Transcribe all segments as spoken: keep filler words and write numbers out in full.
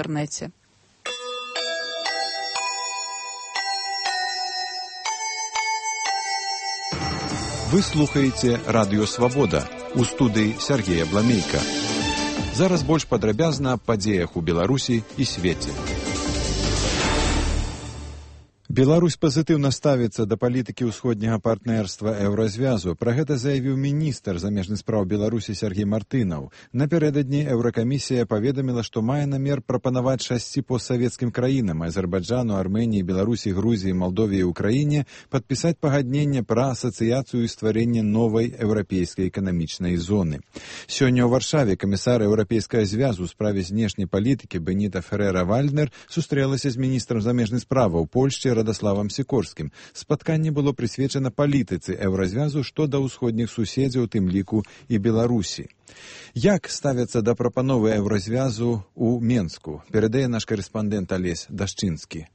інтэрнэце. Вы слухаеце Радыё Свабода. У студыі Сергея Бламейка. Зараз больш падрабязна аб падзеях у Беларусі і свеце. Беларусь пазітыўна ставіцца да палітыкі ўсходняга партнерства Еўразвязу. Пра гэта заявіў міністр замежных спраў Беларусі Сергей Мартынаў. Напярэдадні Еўракамісія паведаміла, што мае намер прапанаваць шасці постсавецкім краінам Азербайджану, Арменіі, Беларусі, Грузіі, Малдове і Украіне падпісаць пагадненне пра асацыяцыю і стварэнне новай еўрапейскай эканамічнай зоны. Сёння ў Варшаве камісар Еўрапейскага звязу ў справе знешняй палітыкі Беніта Ферера-Вальднер сустрэлася з міністрам замежных справаў Польшчы Радаславам Сікорскім. Спатканне было прысвечана палітыцы Еўразвязу што да ўсходніх суседзяў, тым ліку і Беларусі. Як ставяцца да прапановы Еўразвязу ў Менску? Перадае наш карэспандэнт Алесь Дашчынскі.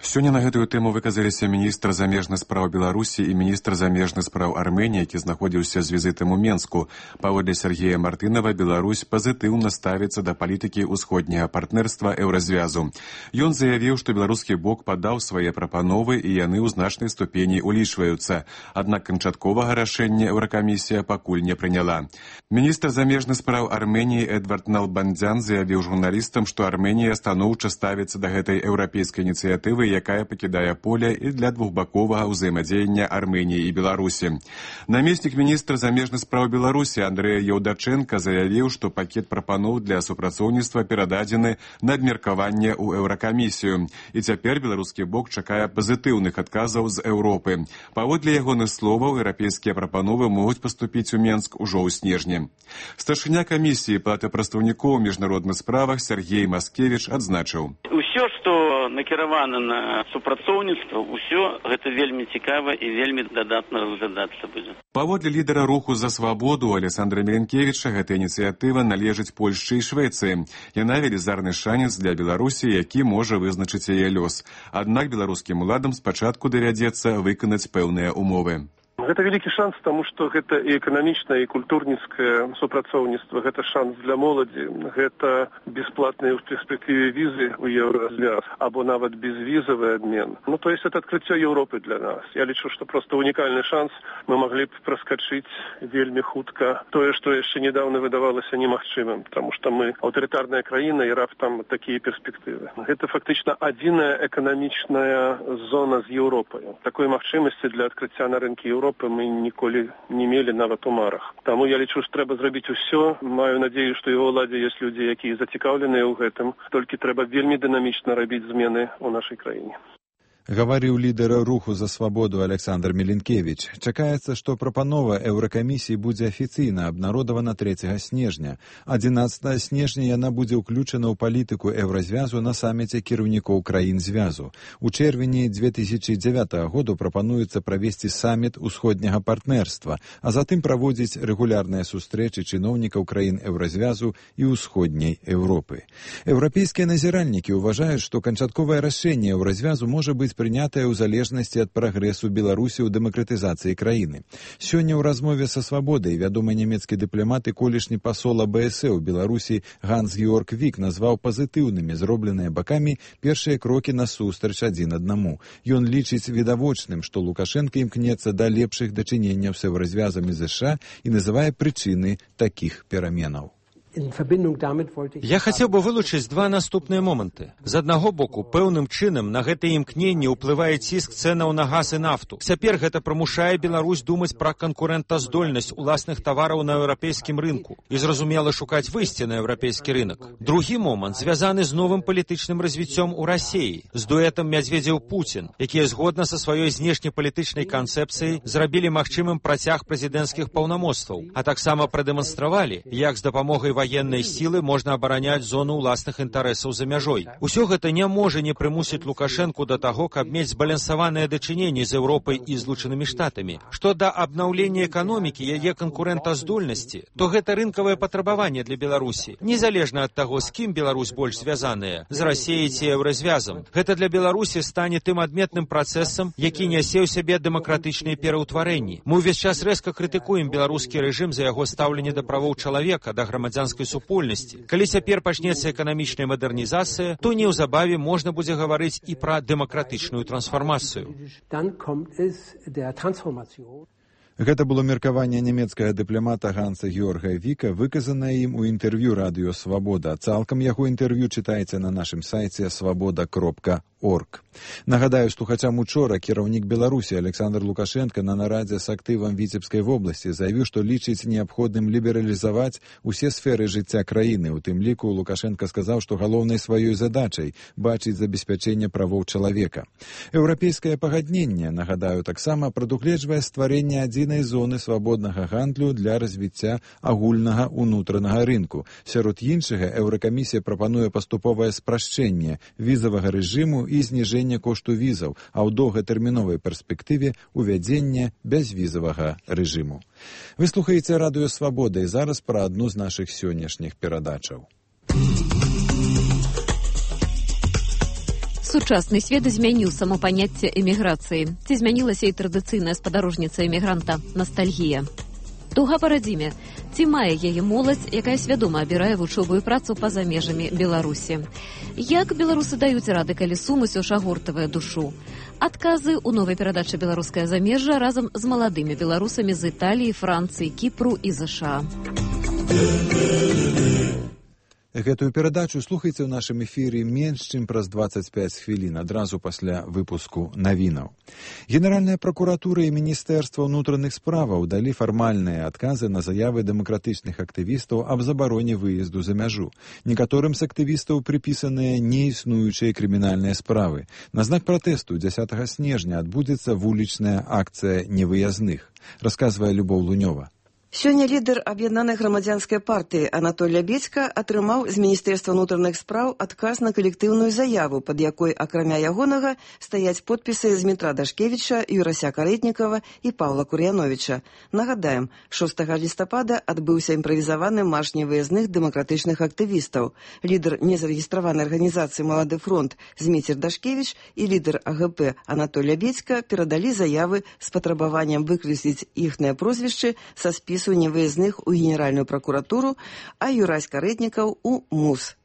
Сёння на гэтую тэму выказаліся міністр замежных спраў Беларусі і міністр замежных спраў Арменіі, які знаходзіўся з візітам у Менску. Паводле Сергея Мартынава, Беларусь пазітыўна ставіцца да палітыкі ўсходняга партнерства Еўразвязу. Ён заявіў, што беларускі бок падаў свае прапановы і яны ў значнай ступені улічваюцца. Аднак канчатковага рашэння Еўракамісія пакуль не прыняла. Міністр замежных спраў Арменіі Эдвард Налбандзян заявіў журналістам, што Арменія станоўча ставіцца да гэтай еўрапейскай ініцыятывы, якая пакідае поле і для двухбаковага ўзаемадзеяння Арменіі і Беларусі. Намеснік міністра замежных спраў Беларусі Андрэя Яўдачэнка заявіў, што пакет прапаноў для супрацоўніцтва перададзены на абмеркаванне ў Еўракамісію. І цяпер беларускі бок чакае пазітыўных адказаў з Еўропы. Паводле ягоных словаў, еўрапейскія прапановы могуць паступіць у Менск ужо ў снежні. Старшыня камісіі палаты прадстаўнікоў у міжнародных справах Сергей Маскевіч адзначыў: Усё, што накіравана на супрацоўніцтва, усё гэта вельмі цікава і вельмі дадатна разглядацца будзе. Паводле лідара руху за свабоду Александра Міленкевіча, гэта ініцыятыва належыць Польшчы і Швецыі. Яна велізарны шанец для Беларусі, які можа вызначыць яе лёс. Аднак беларускім уладам спачатку давядзецца выканаць пэўныя умовы. Гэта вялікі шанс, таму што гэта і эканамічнае, і культурніцкае супрацоўніцтва, гэта шанс для моладзі, гэта бесплатныя ў перспектыве візы ў Еўразвяз, або нават безвізавы абмен. Ну, то есть это адкрыццё Еўропы для нас. Я лічу, што проста унікальны шанс, мы маглі б праскачыць вельмі хутка тое, што яшчэ недавно выдавалася немагчымым, таму што мы аўтарытарная краіна і раптам такія перспектывы. Гэта фактычна адзіная эканамічная зона з Еўропай. Такой магчымасці для адкрыцця на рынкі Еўропы мы ніколі не мелі нават у марах. Таму я лічу, што трэба зрабіць усё. Маю надзею, што і ў уладзе ёсць людзі, якія зацікаўленыя ў гэтым. Толькі трэба вельмі дынамічна рабіць змены ў нашай краіне. Гаварыў лідар руху за свабоду Александр Міленкевіч. Чакаецца, што прапанова Еўракамісіі будзе афіцыйна абнародавана трэцяга снежня. адзінаццатага снежня яна будзе ўключана ў палітыку Еўразвязу на саміце кіраўнікоў краін звязу. У чэрвені дзве тысячы дзявятага году прапануецца правесці саміт усходняга партнерства, а затым праводзіць рэгулярныя сустрэчы чыноўнікаў краін Еўразвязу і ўсходняй Еўропы. Еўрапейскія назіральнікі ўважаюць, што канчатковае рашэнне Еўразвязу можа быць прынятая ў залежнасці ад прагрэсу Беларусі ў дэмакратызацыі краіны. Сёння ў размове са свабодай вядомы нямецкі дыпламат і колішні пасол А Бэ Эс Э ў Беларусі Ганс-Георг Вік назваў пазітыўнымі зробленыя бакамі першыя крокі насустрач адзін аднаму. Ён лічыць відавочным, што Лукашенка імкнецца да лепшых дачыненняў з Еўразвязам і ЗША і называе прычыны такіх пераменаў. Я хацеў бы вылучыць два наступныя моманты. З аднаго боку, пэўным чынам на гэтае імкненне ўплывае ціск цэнаў на газ і нафту. Цяпер гэта прымушае Беларусь думаць пра канкурэнтаздольнасць уласных тавараў на еўрапейскім рынку і, зразумела, шукаць выйсце на еўрапейскі рынак. Другі момант звязаны з новым палітычным развіццём у Расіі, з дуэтам Мядзведзеў-Пуцін, якія згодна са сваёй знешнепалітычнай канцэпцыяй зрабілі магчымым працяг прэзідэнцкіх паўнамоцтваў, а таксама прадэманстравалі, як з дапамогай ваеннай сілы можна абараняць зону ўласных інтарэсаў за мяжой. Усё гэта не можа не прымусіць Лукашэнку да таго, каб мець збалансаваныя дачыненні з Еўропай і Злучанымі Штатамі. Што да абнаўлення эканомікі, яе канкурэнтаздольнасці, то гэта рынкавае патрабаванне для Беларусі. Незалежна ад таго, з кім Беларусь больш звязаная, з Расіяй ці Еўразвязам. Гэта для Беларусі стане тым адметным працэсам, які нясе ў сябе дэмакратычныя пераўтварэнні. Мы ўвесь час рэзка крытыкуем беларускі рэжым за яго стаўленне да правоў чалавека, да грамадзянскага грамадзянскай супольнасці. Калі цяпер пачнецца эканамічная мадэрнізацыя, то неўзабаве можна будзе гаварыць і пра дэмакратычную трансфармацыю. Гэта было меркаванне нямецкага дыпламата Ганса Георга Віка, выказанае ім у інтэрв'ю радыё «Свабода». Цалкам яго інтэрв'ю чытайце на нашым сайце свабода кропка орг. Нагадаю, слухачам учора кіраўнік Беларусі Александр Лукашенко на нарадзе з актывам Віцебскай вобласці заявіў, што лічыць неабходным лібералізаваць усе сферы жыцця краіны. У тым ліку Лукашенко сказаў, што галоўнай сваёй задачай бачыць забеспячэнне правоў чалавека. Еўрапейскае пагадненне, нагадаю, таксама прадугледжвае стварэнне адзінай зоны свабоднага гандлю для развіцця агульнага ўнутранага рынку. Сярод іншага, Еўракамісія прапануе паступовае спрашчэнне візавага рэжыму і зніжэнне кошту візаў, а ў доўгатэрміновай перспектыве увядзення бязвізавага рэжыму. Вы слухаеце радыё «Свабода» і зараз пра адну з нашых сённяшніх перадачаў. Сучасны свет змяніў само паняцце эміграцыі. Ці змянілася і традыцыйная спадарожніца эмігранта – настальгія. Туга па радзіме. Ці мае яе моладзь, якая свядома абірае вучобу і працу па-за межамі Беларусі? Як беларусы даюць рады, калі сум усё ж агортавае душу? Адказы ў новай перадачы «Беларускае замежжа» разам з маладымі беларусамі з Італіі, Францыі, Кіпру і ЗША. Гэтую перадачу слухайце ў нашым эфіры менш, чым праз дваццаць пяць хвілін, адразу пасля выпуску навінаў. Генеральная пракуратура і Міністэрства ўнутраных справаў далі фармальныя адказы на заявы дэмакратычных актывістаў аб забароне выезду за мяжу. Некаторым з актывістаў прыпісаныя неіснуючыя крымінальныя справы. На знак пратэсту дзясятага снежня адбудзецца вулічная акцыя невыязных, расказвае Любоў Лунёва. Сёння лідар аб'яднанай грамадзянскай партыі Анатоль Лябедзька атрымаў з Міністэрства ўнутраных спраў адказ на калектыўную заяву, пад якой, акрамя ягонага, стаяць подпісы Змітра Дашкевіча, Юрася Карэтнікава і Паўла Кур'яновіча. Нагадаем, шостага лістапада адбыўся імправізаваны марш невыязных дэмакратычных актывістаў. Лідар незарэгістраванай арганізацыі «Малады фронт» Зміцер Дашкевіч і лідар АГП Анатоль Лябедзька перадалі заявы з патрабаваннем выкрэсліць іхныя прозвішчы са спісу невыязных у Генеральную прокуратуру, а Юрась Карэтнікаў у МУС.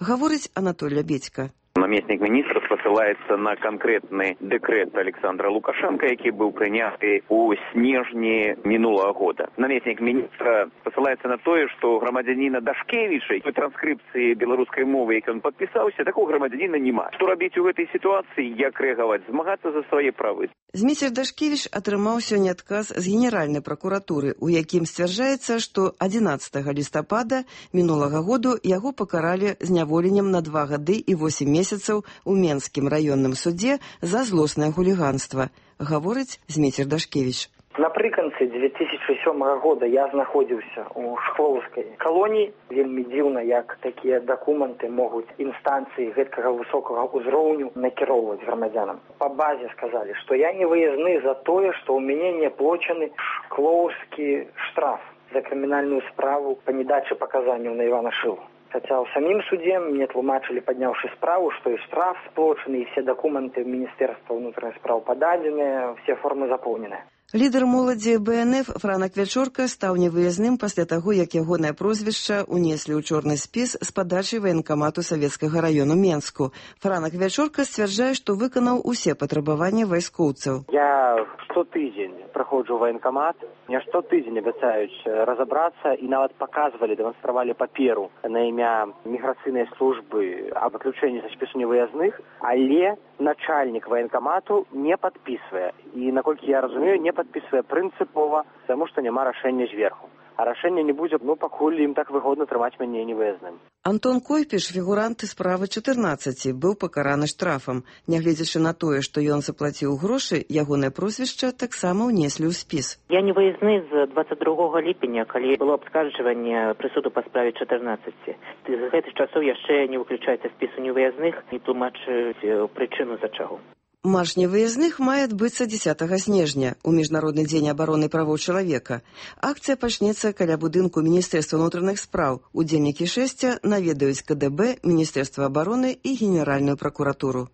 Гаворыць Анатоль Лябедзька. Намеснік міністра спасылаецца на канкрэтны дэкрэт Александра Лукашенко, які быў прыняты у снежні мінулага года. Намеснік міністра спасылаецца на тое, што грамадзяніна Дашкевіча, той транскрыпцыі беларускай мовы, як ён падпісаўся, такого грамадзяніна няма. Што рабіць у гэтай сітуацыі, як рэагаваць, змагацца за свае правы. Зміцер Дашкевіч атрымаў сёння адказ з Генеральнай пракуратуры, у якім сцвярджаецца, што адзінаццатага лістапада мінулага году яго пакаралі зняволеннем на два гады і восем месяцаў у Менскім раённым судзе за злоснае хуліганства, гаворыць Зміцер Дашкевіч. Напрыканцы дзве тысячы сёмага года я знаходзіўся ў шклоўскай калоніі. Вельмі дзіўна, як такія дакументы могуць інстанцыі гэткага высокага ўзроўню накіроўваць грамадзянам. Па базе сказалі, што я не выязны за тое, што ў мяне не аплочаны шклоўскі штраф за крымінальную справу па недачы паказанняў на Івана Шылу. Хаця ў самім судзе мне тлумачылі, падняўшы справу, што і штраф сплочаны, і все дакументы Міністэрства ўнутраных спраў пададзеныя, все формы запоўненыя. Лідар моладзі БНФ Франак Вячорка стаў невыязным пасля таго, як ягонае прозвішча унеслі ў чорны спіс з падачы ваенкамату савецкага раёну Менску. Франак Вячорка сцвярджае, што выканаў усе патрабаванні вайскоўцаў. Я штотыдзень праходжу ваенкамат, мне штотыдзень абяцаюць разабрацца і нават паказвалі, дэманстравалі паперу на імя міграцыйнай службы аб выключэнні са спісу невыязных, але начальнік ваенкамату не падпісвае. І, наколькі я разумею, не падпісвае прынцыпова, таму што няма рашэння зверху. А рашэння не будзе, ну, пакуль ім так выгодна трымаць мяне невыязным. Антон Койпіш, фігурант справы чатырнаццаці, быў пакараны штрафам. Нягледзячы на тое, што ён заплаціў грошы, ягонае прозвішча таксама ўнеслі ў спіс. Я не выязны з дваццаць другога ліпеня, калі было абскарджванне прысуду па справе чатырнаццаці. З гэтых часоў яшчэ не выключаецца спісу невыязных і тлумачыць прычыну за чаго. Марш невыязных мае адбыцца дзесятага снежня, у Міжнародны дзень абароны правоў чалавека. Акцыя пачнецца каля будынку Міністэрства ўнутраных спраў. Удзельнікі шэсця наведаюць КДБ, Міністэрства абароны і Генеральную пракуратуру.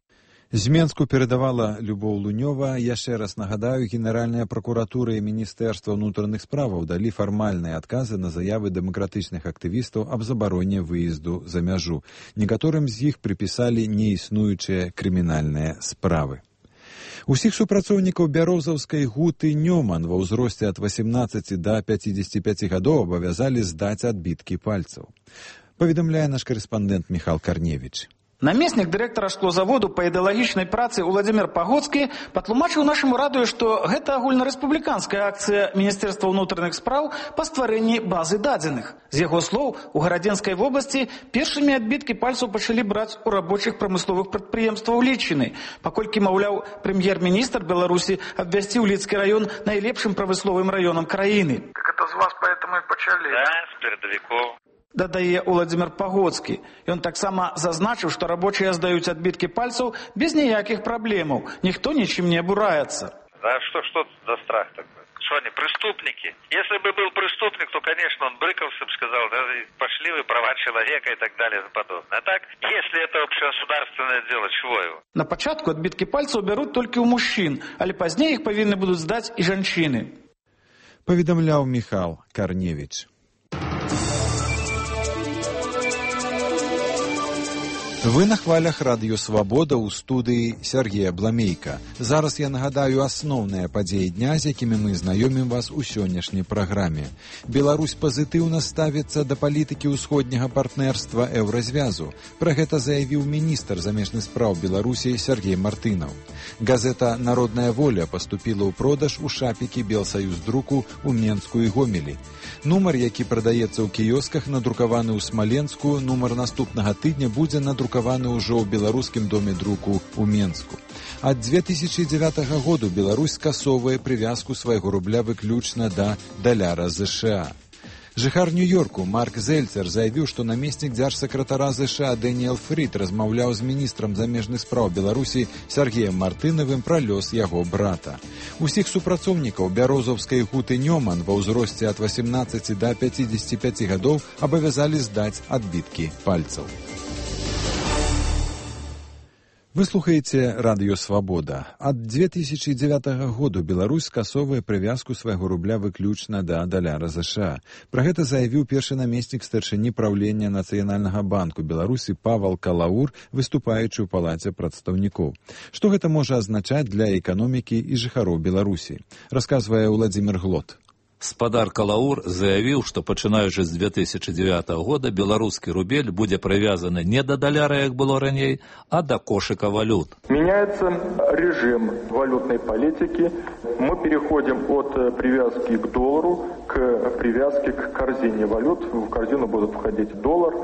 З Менску перадавала Любоў Лунёва. Яшчэ раз нагадаю, Генеральная пракуратура і Міністэрства ўнутраных справаў далі фармальныя адказы на заявы дэмакратычных актывістаў аб забароне выезду за мяжу. Некаторым з іх прыпісалі неіснуючыя крымінальныя справы. Усіх супрацоўнікаў бярозаўскай гуты Нёман ва ўзросце ад васемнаццаці да пяцідзесяці пяці гадоў абавязалі здаць адбіткі пальцаў. Паведамляе наш карэспандэнт Міхал Карневіч. Намеснік дырэктара шклозаводу па ідэалагічнай працы Уладзімір Пагоцкі патлумачыў нашаму радыё, што гэта агульнарэспубліканская акцыя Міністэрства ўнутраных спраў па стварэнні базы дадзеных. З яго слоў, у Гарадзенскай вобласці першымі адбіткі пальцаў пачалі браць у рабочых прамысловых прадпрыемстваў Лічыны, паколькі, маўляў, прэм'ер-міністр Беларусі абвясціў Ліцкі раён найлепшым прамысловым раёнам краіны. Так это з вас поэтому і пачалі? Да, з перадавікоў. Дадае Уладзімір Пагоцкі. Ён таксама зазначыў, што рабочыя здаюць адбіткі пальцаў без ніякіх праблемаў. Ніхто нічым не абураецца. А что, что за страх такой? Что они, преступники? Если бы был преступник, то, конечно, он брыкался бы, сказал, да, пошли вы, права человека и так далее и подобное. А так, если это общегосударственное дело, чего его? На пачатку адбіткі пальцаў бяруць толькі ў мужчын, але пазней іх павінны будуць здаць і жанчыны. Паведамляў Міхал Карневіч. Вы на хвалях радыё «Свабода» ў студыі Сергея Бламейка. Зараз я нагадаю асноўныя падзеі дня, з якімі мы знаёмім вас у сённяшняй праграме. Беларусь пазітыўна ставіцца да палітыкі ўсходняга партнерства Еўразвязу. Пра гэта заявіў міністр замежных спраў Беларусі Сергей Мартынаў. Газета «Народная воля» паступіла ў продаж у шапікі Белсаюздруку ў Менску і Гомелі. Нумар, які прадаецца ў кіёсках, надрукаваны ў Смаленску, нумар наступнага тыдня будзе надрукаваны ўжо ў беларускім доме друку ў Менску. Ад дзве тысячы дзевятага году Беларусь скасоўвае прывязку свайго рубля выключна да даляра ЗША. Жыхар Нью-Йорку Марк Зельцер заявіў, што намеснік дзяржсакратара ЗША Дэніэл Фрід размаўляў з міністрам замежных спраў Беларусі Сергеем Мартынавым пра лёс яго брата. Усіх супрацоўнікаў бярозаўскай гуты Нёман ва ўзросце ад васемнаццаці да пяцідзесяці пяці гадоў абавязалі здаць адбіткі пальцаў. Вы слухаеце радыё «Свабода». Ад дзве тысячы дзевятага году Беларусь скасоўвае прывязку свайго рубля выключна да даляра ЗША. Пра гэта заявіў першы намеснік старшыні праўлення Нацыянальнага банку Беларусі Павал Калаур, выступаючы ў палаце прадстаўнікоў. Што гэта можа азначаць для эканомікі і жыхароў Беларусі? Расказвае Уладзімір Глот. Спадар Калаур заявіў, што пачынаючы з дзве тысячы дзевятага года беларускі рубель будзе прывязаны не да даляра, як было раней, а да кошыка валют. Меняется режим валютной политики. Мы переходим от привязки к доллару к привязке к корзине валют. В корзину будут входить доллар,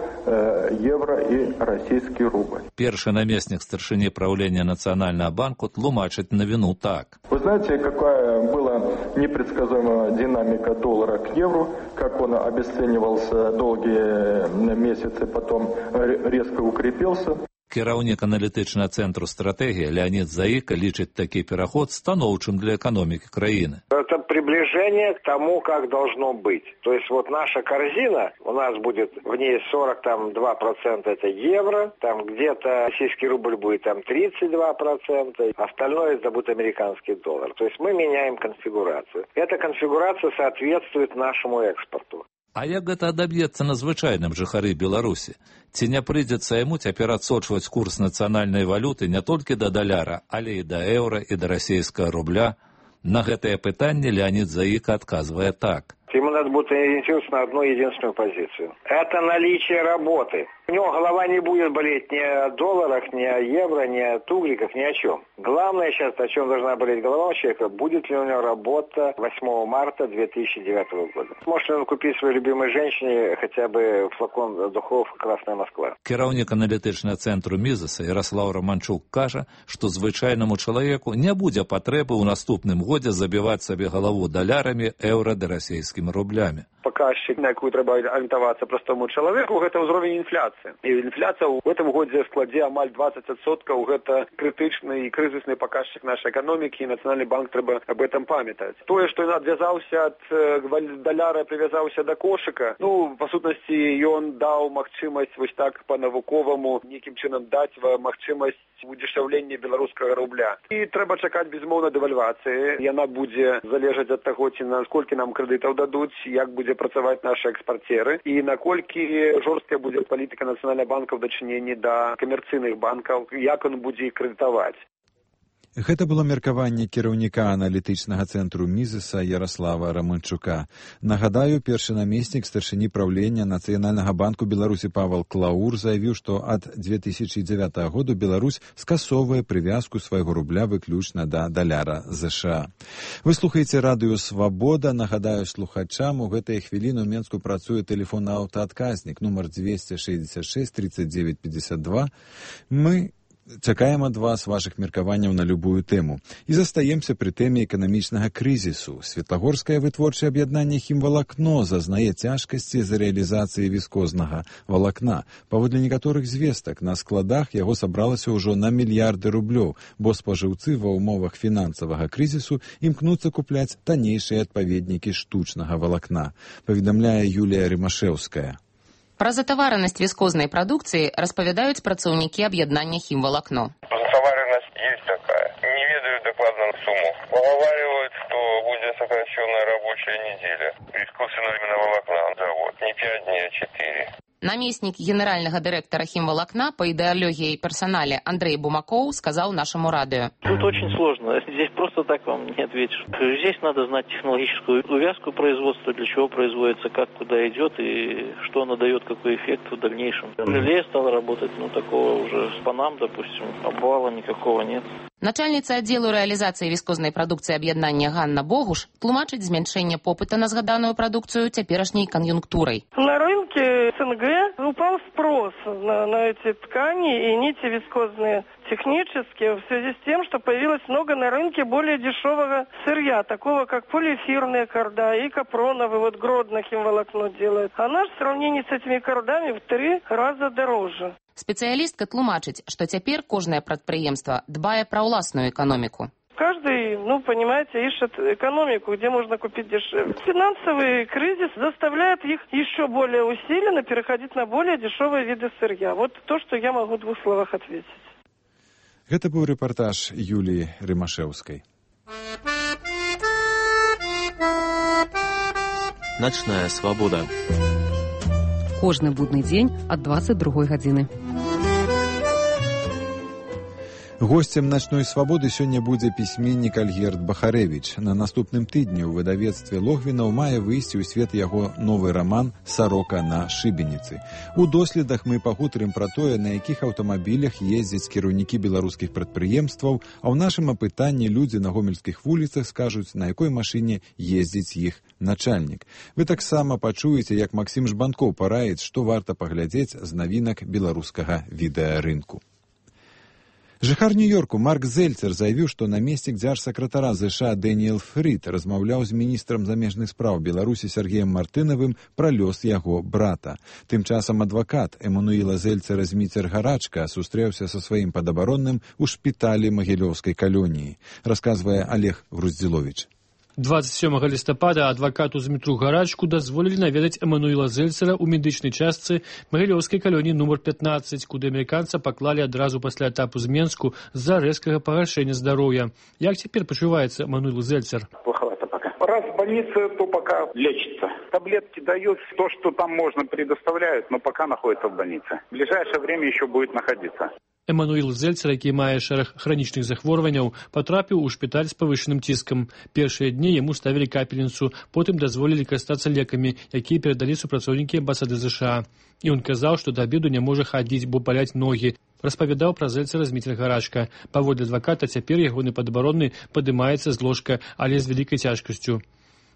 евро и российский рубль. Першы намеснік старшыні праўлення Нацыянальнага банку тлумачыць навіну так. Вы знаете, какая была непредсказуемая динамика доллара к евро, как он обесценивался долгие месяцы, потом резко укрепился. Кіраўнік аналітычнага цэнтру стратэгія Леонид Заика лічыць такі пераход станоўчым для эканомікі краіны. Это приближение к тому, как должно быть. То есть вот наша корзина, у нас будет в ней сорок два процента это евро, там где-то российский рубль будет там тридцать два процента, остальное это будет американский доллар. То есть мы меняем конфигурацию. Эта конфигурация соответствует нашему экспорту. А як гэта адаб'ецца на звычайным жыхары Беларусі? Ці не прыйдзецца яму цяпер адсочваць курс нацыянальнай валюты не толькі да даляра, але і да еўра, і да расійскага рубля? На гэтае пытанне Леонид Заика адказвае так. Ему надо будет ориентироваться на одну единственную позицию. Это наличие работы. У него голова не будет болеть ни о долларах, ни о евро, ни о тугриках, ни о чем. Главное сейчас, о чем должна болеть голова у человека, будет ли у него работа восьмого марта две тысячи девятого года. Может ли он купить своей любимой женщине хотя бы флакон духов «Красная Москва». Кіраўнік аналітычнага цэнтру Мізаса Ярослав Романчук кажа, што звычайнаму чалавеку не будзе патрэбы ў наступным годзе забіваць сабе галаву далярамі, еўра ды расійскімі рублямі. паказчык, на якую трэба арыентавацца простому чалавеку, гэта ўзровень інфляцыі. І інфляцыя ў гэтым годзе складзе амаль двадцать адсоткаў, гэта крытычны і крызісны паказчык нашай эканомікі, і Нацыянальны банк трэба об этом памятаць. Тое, што ён адвязаўся ад даляра, прывязаўся да кошыка, ну, па сутнасці, ён даў магчымасць вось так па-навуковаму нейкім чынам даць магчымасць удешаўлення беларускага рубля. І трэба чакаць, безумоўна, дэвальвацыі. Яна будзе залежаць ад таго, ці наколькі нам крэдытаў дадуць, як будзе працаваць нашы экспарцеры і наколькі жорсткая будзе палітыка Нацыянальнага банка ў дачыненні да камерцыйных банкаў, як ён будзе іх крэдытаваць. Гэта было меркаванне кіраўніка аналітычнага цэнтру Мізеса Яраслава Раманчука. Нагадаю, першы намеснік старшыні праўлення Нацыянальнага банку Беларусі Павел Клаур заявіў, што ад две тысячы дзевятага году Беларусь скасоўвае прывязку свайго рубля выключна да даляра ЗША. Вы слухаеце радыё «Свабода». Нагадаю слухачам, у гэтыя хвіліны ў Менску працуе тэлефонны аўтаадказнік нумар двести шестьдесят шесть тридцать девять пятьдесят два. Мы чакаем ад вас вашых меркаванняў на любую тэму. І застаемся пры тэме эканамічнага крызісу. Светлагорскае вытворчае аб'яднанне «Хімвалакно» зазнае цяжкасці з рэалізацыі віскознага валакна. Паводле некаторых звестак, на складах яго сабралася ўжо на мільярды рублёў, бо спажыўцы ва ўмовах фінансавага крызісу імкнуцца купляць таннейшыя адпаведнікі штучнага валакна, паведамляе Юлія Рымашэўская. Пра затаваранасць віскознай прадукцыі распавядаюць працаўнікі аб'яднання «Хімвалакно». Затаваранасць есть такая. Не ведаю докладную сумму. Поговаривают, что будет сокращенная рабочая неделя. Искусственного именно волокна завод. Не пять дней, а четыре. Намеснік генеральнага дырэктара «Хімвалакна» па ідэалогіі і персанале Андрей Бумакоў сказал нашему радио. Тут очень сложно. Здесь просто так вам не ответишь. Здесь надо знать технологическую увязку производства, для чего производится, как куда идет и что она дает, какой эффект в дальнейшем. Реле стало работать, ну такого уже с панам, допустим, обвала никакого нет. Начальніца аддзелу рэалізацыі віскознай прадукцыі аб'яднання Ганна Богуш тлумачыць змяншэнне попыта на згаданую прадукцыю цяперашняй кан'юнктурай. На рынке СНГ упал спрос на, на эти ткани и нити вискозные технические в связи с тем, что появилось много на рынке более дешевого сырья, такого как полиэфирные корда и капроновые, вот Гродно химволокно делает. А наш в сравнении с этими кордами в три раза дороже. Спецыялістка тлумачыць, што цяпер кожнае прадпрыемства дбае пра ўласную эканоміку. Каждый, ну, понимаете, ищет экономику, где можно купить дешевле. Финансовый кризис заставляет их еще более усиленно переходить на более дешевые виды сырья. Вот то, что я могу в двух словах ответить. Гэта быў рэпартаж Юліі Рымашэўскай. Начная свабода. Кожны будны дзень ад двадцать другой гадзіны. Госцем начной свабоды сёння будзе пісьменнік Альгерд Бахарэвіч. На наступным тыдні ў выдавецтве Логвінаў мае выйсці ў свет яго новы раман «Сарока на шыбеніцы». У доследах мы пагутарым пра тое, на якіх аўтамабілях ездзяць кіраўнікі беларускіх прадпрыемстваў, а ў нашым апытанні людзі на гомельскіх вуліцах скажуць, на якой машыне ездзіць іх начальнік. Вы таксама пачуеце, як Максім Жбанкоў параіць, што варта паглядзець з навінак беларускага відэарынку. Жыхар Нью-Йорку Марк Зельцер заявіў, што намеснік дзяржсакратара ЗША Дэніэл Фрід размаўляў з міністрам замежных спраў Беларусі Сергеем Мартынавым пра лёс яго брата. Тым часам адвакат Эмануіла Зельцера Зміцер Гарачка сустрэўся са сваім падабаронным у шпіталі Магілёўскай калоніі, расказвае Олег Груздзіловіч. двадцать сёмага лістапада адвакату Змітру Гарачку дазволілі наведаць Эмануіла Зельцера ў медычнай частцы Магілёўскай калоніі нумар пятнадцать, куды амерыканца паклалі адразу пасля этапу з Менску з-за рэзкага пагаршэння здароўя. Як цяпер пачуваецца Эмануіл Зельцер? Плоховато пока. Раз в больнице, то пока лечится. Таблетки дают, то, что там можно, предоставляют, но пока находится в больнице. В ближайшее время еще будет находиться. Эмануіл Зельцер, які мае шэраг хранічных захворванняў, патрапіў у шпіталь з павышаным ціскам. Першыя дні яму ставілі капельніцу, потым дазволілі карыстацца лекамі, якія перадалі супрацоўнікі амбасады ЗША. І ён казаў, што да абеду не можа хадзіць, бо баляць ногі. Распавядаў пра Зельцера Зміцер Гарачка. Паводле адваката, цяпер ягоны падабаронны падымаецца з ложка, але з вялікай цяжкасцю.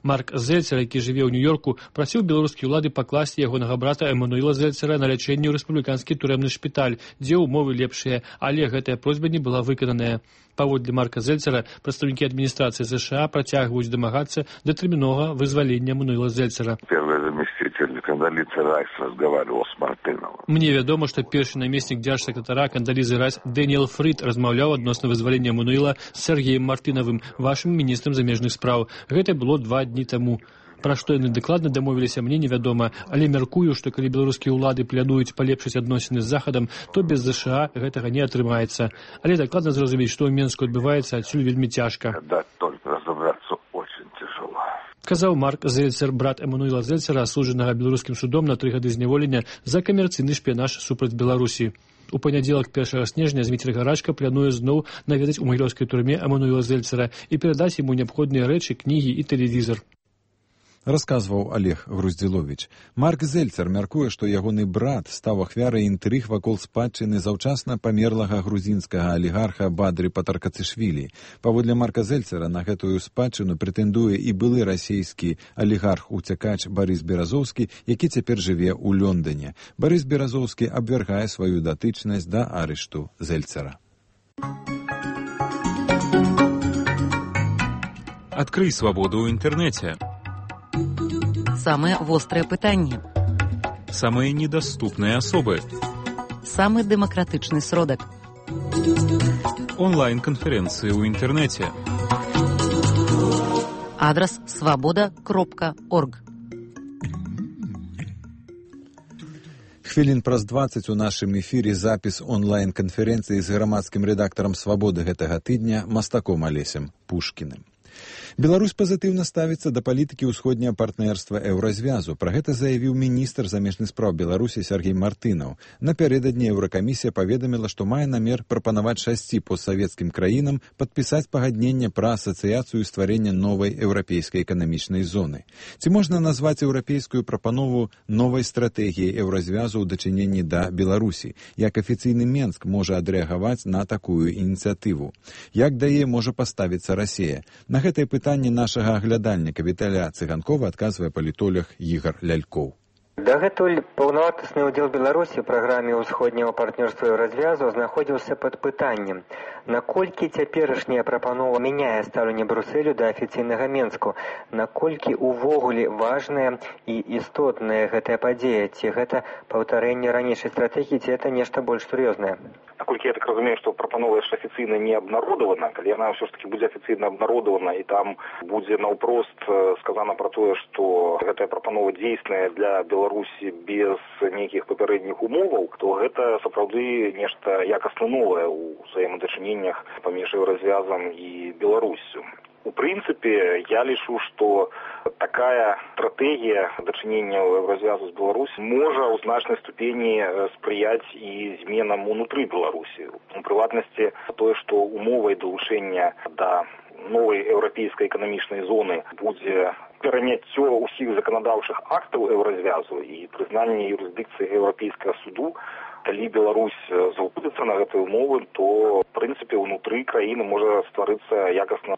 Марк Зельцер, які жыве ў Нью-Йорку, прасіў беларускія ўлады пакласці ягонага брата Эммануила Зельцера на лячэнне ў рэспубліканскі турэмны шпіталь, дзе ўмовы лепшыя, але гэтая просьба не была выкананая. Паводле Марка Зельцера, прадстаўнікі адміністрацыі ЗША працягваюць дамагацца датэрміновага вызвалення Эммануила Зельцера. Первый заместитель Кондолизы Райс разговаривал с Мартыновым. Мне вядома, што першы намеснік дзяржсакратара Кондолизы Райс Дэніэл Фрид размаўляў адносна вызвалення Эммануила з Сергеем Мартынавым, вашым міністрам замежных спраў. Гэта было два дні таму. Пра што яны дакладна дамовіліся, мне невядома, але мяркую, што калі беларускія ўлады плануюць палепшыць адносіны з Захадам, то без ЗША гэтага не атрымаецца. Але дакладна зразумець, што ў Менску адбываецца, адсюль вельмі цяжка. Да, только разобраться очень тяжело. Казаў Марк Зельцер, брат Эммануила Зельцера, асуджанага беларускім судом на тры гады зняволення за камерцыйны шпіянаж супраць Беларусі. У панядзелак першага снежня Зміцер Гарачка плануе зноў наведаць у магілёўскай турме Эммануила Зельцера і перадаць яму неабходныя рэчы, кнігі і тэлевізор. Расказваў Олег Груздзіловіч. Марк Зельцер мяркуе, што ягоны брат стаў ахвярай інтрыг вакол спадчыны заўчасна памерлага грузінскага алігарха Бадры Патаркацышвілі. Паводле Марка Зельцера на гэтую спадчыну прэтэндуе і былы расійскі алігарх-уцякач Барыс Беразоўскі, які цяпер жыве ў Лондоне. Барыс Беразоўскі абвяргае сваю датычнасць да арышту Зельцера. Адкрый свабоду ў інтэрнэце. Самые вострые пытанні. Самые недоступные особы. Самый демократичный сродок. Онлайн-конференции ў інтэрнэце. Адрес свобода кропка орг. Хвілін праз дваццаць у нашым эфіры запіс онлайн-канферэнцыі з грамадскім рэдактарам «Свабоды» гэтага тыдня мастаком Алесем Пушкіным. Беларусь пазітыўна ставіцца да палітыкі ўсходняга партнерства Еўразвязу. Пра гэта заявіў міністр замежных спраў Беларусі Сергей Мартынаў. Напярэдадні Еўракамісія паведаміла, што мае намер прапанаваць шасці постсавецкім краінам падпісаць пагадненне пра асацыяцыю стварэння новай еўрапейскай эканамічнай зоны. Ці можна назваць еўрапейскую прапанову новай стратэгіяй Еўразвязу ў дачыненні да Беларусі? Як афіцыйны Менск можа адрэагаваць на такую ініцыятыву? Як да яе можа паставіцца Расія? На гэтае пытанне нашага аглядальніка Віталя Цыганкова адказвае палітолог Ігар Лялькоў. Дагэтуль паўнавартасны ўдзел Беларусі ў праграме ўсходняга партнёрства і развязу знаходзіўся пад пытаннем, наколькі цяперашняя прапанова мяняе стаўленне Брусэлю да афіцыйнага Менску, наколькі ўвогуле важная і істотная гэтая падзея, ці гэта паўтарэнне ранейшай стратэгіі, ці гэта нешта больш сур'ёзнае. Наколькі я так разумею, што прапанова яшчэ афіцыйна не абнародавана, калі яна ўсё ж таки будзе афіцыйна абнародавана і там будзе наўпрост сказана пра тое, што гэтая прапанова дзейсная для Беларусі без нейкіх папярэдніх умоваў, то гэта сапраўды нешта якасна новае ў ўзаемадачыненнях паміж Еўразвязам і Беларуссю. У прынцыпе, я лічу, што такая стратэгія дачынення Еўразвязу з Беларусі можа ў значнай ступені спрыяць і зменам унутры Беларусі. У прыватнасці, тое, што умовай далучэння да новай еўрапейскай эканамічнай зоны будзе пераняццё ўсіх заканадаўчых актаў Еўразвязу і прызнанне юрысдыкцыі Еўрапейскага суду. Калі Беларусь згодзіцца на гэтыя умовы, то, в прынцыпе, унутры краіны можа стварыцца якасна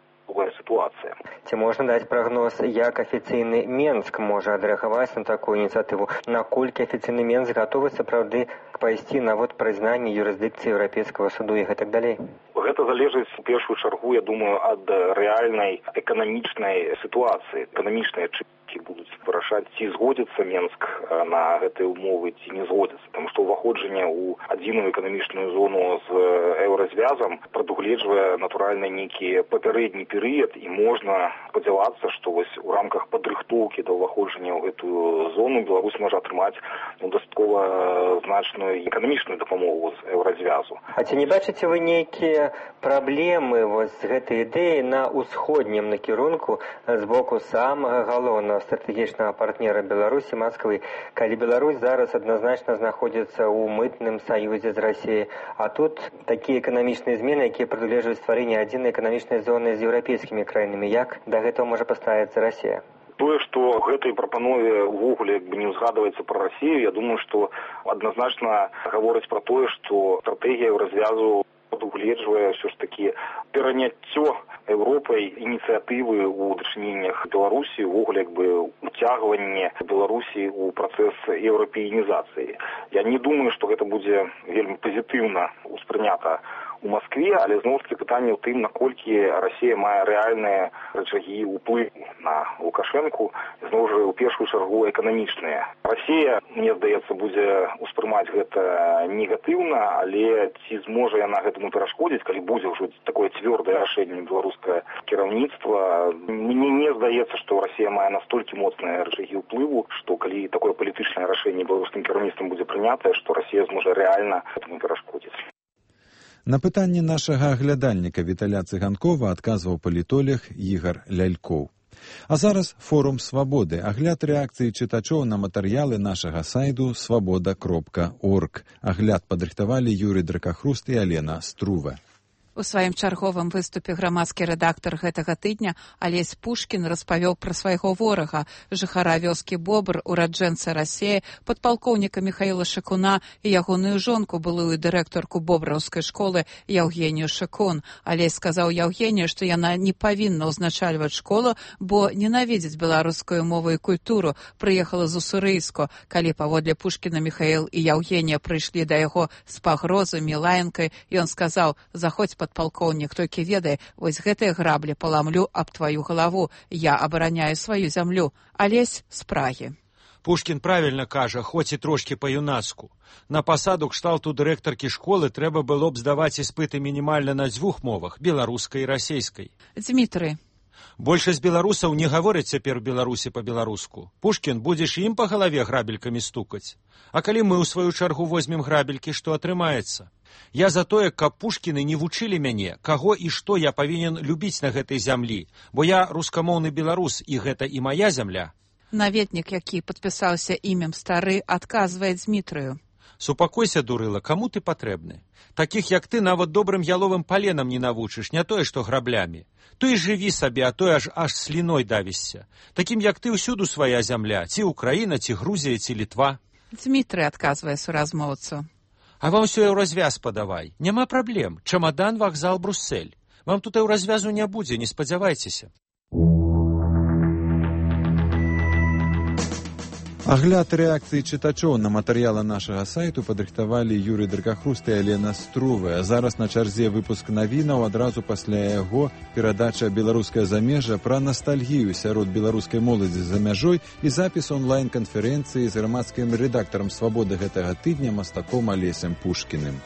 ситуація. Ці можна даць прагноз, як афіцыйны Менск можа адрэагаваць на такую ініцыятыву? Наколькі афіцыйны Менск гатовы сапраўды пайсці на вот прызнанне юрысдыкцыі Еўрапейскага суду і гэтак далей? Гэта залежыць у першую чаргу, я думаю, ад рэальнай эканамічнай сітуацыі. Эканамічныя чыннікі будуць вырашаць, ці згодзіцца Менск на гэтыя умовы, ці не згодзіцца. Таму што ўваходжанне ў адзіную эканамічную зону з еўразвязам прадугледжвае натуральна нейкі папярэдні перыяд, і можна спадзявацца, што вось у рамках падрыхтоўкі да ўваходжання ў гэтую зону Беларусь можа атрымаць ну, дастаткова значную эканамічную дапамогу з еўразвязу. А ці не бачыце вы нейкія праблемы вось з гэтай ідэі на ўсходнім накірунку з боку самага галоўнага стратэгічнага партнера Беларусі, Масквы, калі Беларусь зараз адназначна знаходзіцца ў мытным саюзе з Расіяй, а тут такія эканамічныя змены, якія прадугледжваюць стварэнне адзінай эканамічнай зоны з еўрапейскімі краінамі, як да гэтага можа паставіцца Расія? Тое, што ў гэтай прапанове ўвогуле як бы не ўзгадваецца пра Расію, я думаю, што адназначна гаворыць пра тое, што стратэгія развязу прадугледжвае ўсё ж такі пераняццё Еўропай ініцыятывы ў дачыненнях Беларусі, увогуле як бы уцягванне Беларусі ў працэс еўрапеінізацыі. Я не думаю, што гэта будзе вельмі пазітыўна ўспрынята у Москве, але зноў такі пытанне ў тым, наколькі Расія мае рэальныя рычагі ўплыву на Лукашэнку, зноў жа, у першую чаргу эканамічныя. Расія, мне здаецца, будзе ўспрымаць гэта негатыўна, але ці зможа яна гэтаму перашкодзіць, калі будзе ўжо такое цвёрдае рашэнне беларускае кіраўніцтва. Мне не здаецца, што Расія мае настолькі моцныя рычагі ўплыву, што калі такое палітычнае рашэнне беларускім кіраўніцтвам будзе прынятае, што Расія зможа рэальна гэтаму перашкодзіць. На пытанне нашага аглядальніка Віталя Цыганкова адказваў палітолог Ігар Лялькоў. А зараз форум свабоды, агляд рэакцыі чытачоў на матэрыялы нашага сайту свабода кропка орг. Агляд падрыхтавалі Юрый Дракахруст і Алена Струва. У сваім чарговым выступе грамадскі рэдактар гэтага тыдня Алесь Пушкін распавёў пра свайго ворага, жыхара вёскі Бобр, ураджэнца Расіі, падпалкоўніка Міхаіла Шакуна і ягоную жонку, былую дырэктарку бобраўскай школы Яўгенію Шакун. Алесь сказаў Яўгенію, што яна не павінна ўзначальваць школу, бо ненавідзіць беларускую мову і культуру, прыехала з Уссурыйску. Калі паводле Пушкіна Міхаіл і Яўгенія прыйшлі да яго з пагрозамі, лаянкай, ён сказаў: «Заходзь, падпалкоўнік, толькі ведай, вось гэтыя граблі паламлю аб тваю галаву, я абараняю сваю зямлю». Алесь з Прагі. Пушкін правільна кажа, хоць і трошкі па-юнацку. На пасаду кшталту дырэктаркі школы трэба было б здаваць іспыты мінімальна на дзвюх мовах, беларускай і расейскай. Дзмітрый. Большасць беларусаў не гавораць цяпер у Беларусі па-беларуску. Пушкін, будзеш ім па галаве грабелькамі стукаць. А калі мы ў сваю чаргу возьмем грабелькі, што атрымаецца? Я за тое, каб Пушкіны не вучылі мяне, каго і што я павінен любіць на гэтай зямлі, бо я рускамоўны беларус, і гэта і мая зямля. Наведнік, які падпісаўся імем Стары, адказвае Дзмітрыю. Супакойся, дурыла, каму ты патрэбны? Такіх, як ты, нават добрым яловым паленам не навучыш, не тое, што граблямі. То і жыві сабе, а то аж аж сліной давішся. Такім, як ты, ўсюду свая зямля, ці Украіна, ці Грузія, ці Літва. Дзмітрый адказвае суразмоўцу. А вам усё ў развяз падавай. Няма праблем. Чамадан, вакзал, Бруссель. Вам тут і ў развязу не будзе, не спадзявайцеся. Агляд рэакцыі чытачоў на матэрыялы нашага сайту падрыхтавалі Юрый Дракахруст і Алена Струва. Зараз на чарзе выпуск навінаў, адразу пасля яго перадача «Беларускае замежжа» пра настальгію сярод беларускай моладзі за мяжой і запіс онлайн-канферэнцыі з грамадскім рэдактарам «Свабоды» гэтага тыдня мастаком Алесем Пушкіным.